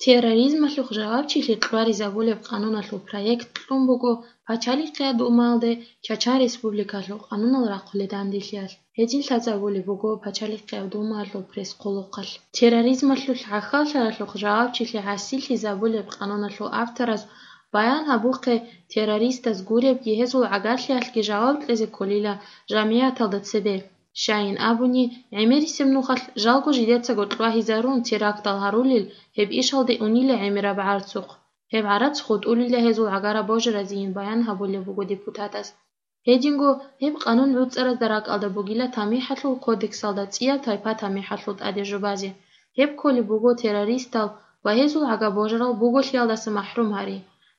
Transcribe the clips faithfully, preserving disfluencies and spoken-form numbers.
Терроризмалъухъ жавабчилъи кьваризабулеб къануналъул проект кьун буго Пачалихъияб Думаялде Чачан Республикалъул къанунал рахъулел данделъиялъ. Гьедин лъазабулеб буго Пачалихъияб Думаялъул пресс-хъулухъалъ. Терроризмалъулъ гӀахьаллъаралъухъ жавабчилъи гӀасиллъизабулеб къануналъул автораз баян гьабухъе, террористаз гуребги гьезул гӀагарлъиялъги жаваб кьезе кколила жамгӀияталда цебе. Щайин абуни, гӀемерисеб нухалъ жалго жидецаго кьвагьизарун терактал гьарулел гьеб ишалде унила гӀемераб гӀарцухъ. Гьеб гӀарац хутӀулила гьезул гӀагараб божаразейин баян гьабулеб буго депутатас. Гьединго гьеб къанун гӀуцӀаразда ракӀалда бугила ТамихӀалъул кодексалда цӀияб тайпа тамихӀалъул тӀаде жубазе. Гьеб кколеб буго террористал ва гьезул гӀага-божарал буголъиялдаса махӀрум гьари.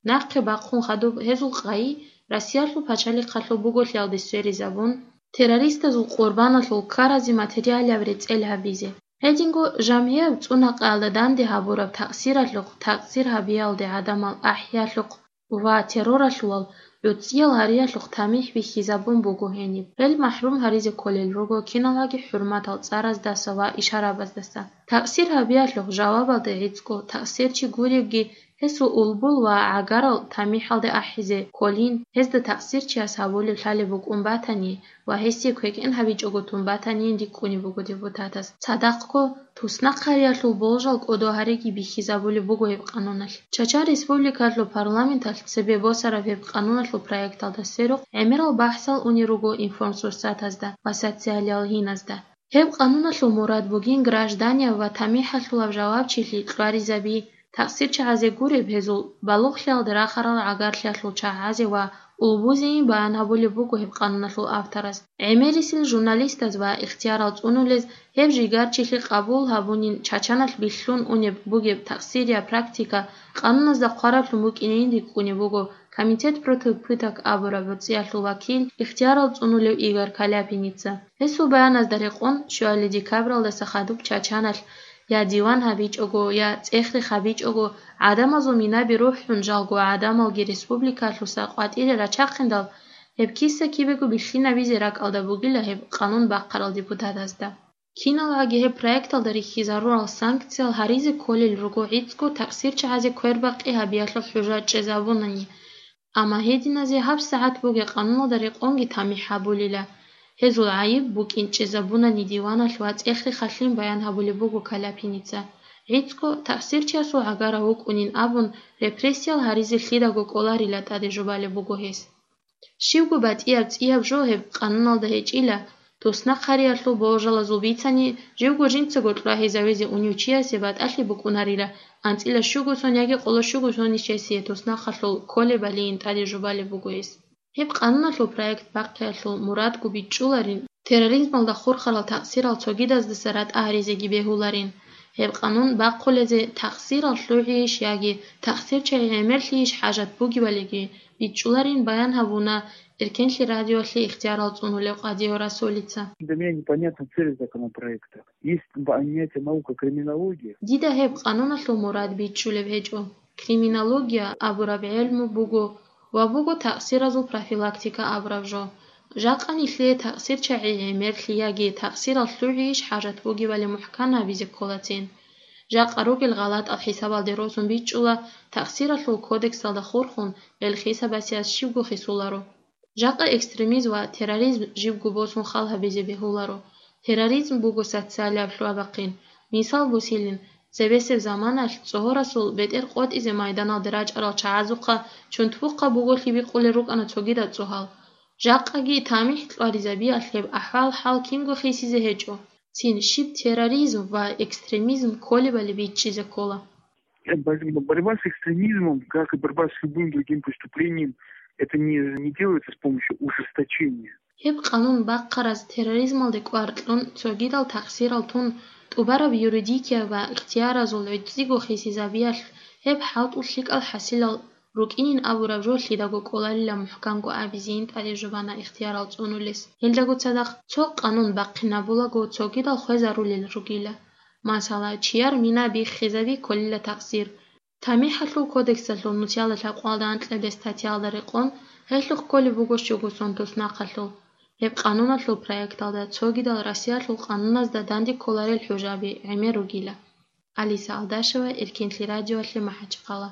Нахъе бахъун хадуб гьезул къайи Россиялъул пачалихъалъул буголъиялде сверизабун, террористазул къурбаналъул ккаразе материалаб рецӀел гьабизе. Гьединго жамгӀияб цӀунакъаялда данде гьабураб такъсиралъухъ, такъсир гьабиялде гӀадамал ахӀиялъухъ ва терроралъулал гӀуцӀиял гьариялъухъ тамихӀ бихьизабун буго гьениб. Гьел махӀрум гьаризе кколел руго киналги хӀурматал цӀараздаса ва ишарабаздаса. Такъсир гьабиялъухъ жавабалда гӀицӀго такъсирчи гуребги гьесул улбул ва гӀагарал тамихӀалде ахӀизе кколин, гьезда такъсирчияс гьабулеб лъалеб букӀун батани ва гьесие квекӀен гьабичӀого тун батанин рикӀкӀунеб буго депутатас. Цадахъго, туснахъ гьариялъул болжал кӀодо гьариги бихьизабулеб буго гьеб къануналъ. Чачан Республикалъул парламенталъ цебе босараб гьеб къануналъул проекталда сверухъ гӀемерал бахӀсал унел руго информсурсатазда ва социалиял гьиназда. Гьеб къануналъул мурад бугин гражданияв ва тамихӀалъулав жавабчилъи кьваризаби, такъсирчагӀазе гуреб гьезул балугълъиялде рахарал гӀагарлъиялъул чагӀазе ва улбузейин баян гьабулеб буго гьеб къануналъул автораз. ГӀемерисел журналистаз ва ихтиярал цӀунулез гьеб жигарчилъи къабул гьабунин Чачаналъ бихьун унеб бугеб такъсирия практика къануназда хъвараблъун букӀинейин рикӀкӀунеб буго Комитет против пыток абураб гӀуцӀиялъул вакил, ихтиярал цӀунулев Игорь Каляпиница. Гьесул баяназда рекъон, щуали декабралдаса хадуб Чачаналъ я диван гьабичӀого, я цӀех-рех гьабичӀого, гӀадамазул минаби рухӀун жалго гӀадамалги республикалъуса къватӀире рачахъиндал, гьеб киса кибего бихьинабизе ракӀалда бугила гьеб къанун бахъарал депутатазда. Киналгьаги гьеб проекталда рихьизарурал санкциял гьаризе кколел руго гӀицӀго такъсирчагӀазе квербакъи гьабиялъул хӀужа чӀезабунани. Амма гьединазе гьабсагӀат бугеб къануналда рекъонги тамихӀ гьабулила. Гьезул гӀайиб букӀин чӀезабунани диваналъ ва цӀех-рехалъин баян гьабулеб буго Каляпиница. ГӀицӀго такъсирчиясул гӀагарав вукӀунин абун, репрессиял гьаризе лъидаго кӀоларила тӀаде жубалеб буго гьес. Щибго батӀияб цӀияб жо гьеб къануналда гьечӀила, туснахъ гьариялъул болжалазул бицани, живго жинцаго кьвагьизавизе унев чиясе батӀалъи букӀунарила, анцӀила щуго сон яги къоло щуго сон нижесие туснахъалъул кколебалиин тӀаде жубалеб буго гьес. Гьеб къануналъул проект бахъиялъул мурадго бичӀчӀуларин, терроризмалда хурхарал такъсирал цогидаздаса ратӀа гьаризеги бегьуларин. Гьеб къанун бахъулезе такъсирал лъугӀийищ яги такъсирчагӀи гӀемерлъийищ хӀажат бугебалиги, бичӀчӀуларин баян гьабуна Эркенлъи радиоялъе ихтиярал цӀунулев Къадио Расулица. Для меня непонятна цель законопроекта. Есть понятие наука криминология. Дида гьеб къануналъул мурад бичӀчӀулеб гьечӀо. Криминология абураб гӀелму буго ва буго такъсиразул профилактика абураб жо. Жакъа нилъее такъсирчагӀи гӀемерлъи яги такъсирал лъугӀийищ хӀажат бугебали мухӀкан гьабизе кколацин. Жакъа ругел гъалатӀал хӀисабалде росун бичӀчӀула, такъсиралъул кодексалда хурхун, гьел хисабасиялъ щибго хисуларо. Жакъа экстремизм ва терроризм жибго босун хал гьабизе бегьуларо. Терроризм буго социалияб лъугьа-бахъин. Мисал босилин, цебесеб заманалъ цӀогьорасул бетӀер къотӀизе майданалде рачӀарал чагӀазухъа чунтбухъа буголъи бикъулел рукӀана цогидал цӀогьал. Жакъаги тамихӀ кьваризабиялъ гьеб ахӀвал-хӀал кинго хисизе гьечӀо. Цин щиб терроризм ва экстремизм кколебали бичӀчӀизе ккола. Э, бо-, борьба с экстремизмом, как и борьба с любым другим преступлением, это не, не делается с помощью ужесточения. Гьеб къанун бахъараз терроризмалде кӀвар кьун, цогидал такъсирал тун, тӀубараб юридикияб ва ихтияразул гӀицӀиго хисизабиялъ гьеб хӀалтӀул лъикӀал хӀасилал рукӀинин абураб жо лъидаго кӀоларила мухӀканго абизейин тӀаде жубана ихтиярал цӀунулес. Гьелдаго цадахъ цо къанун бахъинабулаго цогидал хвезарулел ругила. Масала, чияр мина биххизаби кколила такъсир. ТамихӀалъул кодексалъул нусиялда лъабкъоялда анкьабилеб статьялда рекъон, гьелъухъ кколеб буго щуго сон туснахъалъул. Гьеб къануналъул проекталда цогидал Россиялъул къануназда данде кколарел хӀужаби гӀемер ругила. Алиса Алдашева, Эркенлъи радиоялъе МахӀачхъала.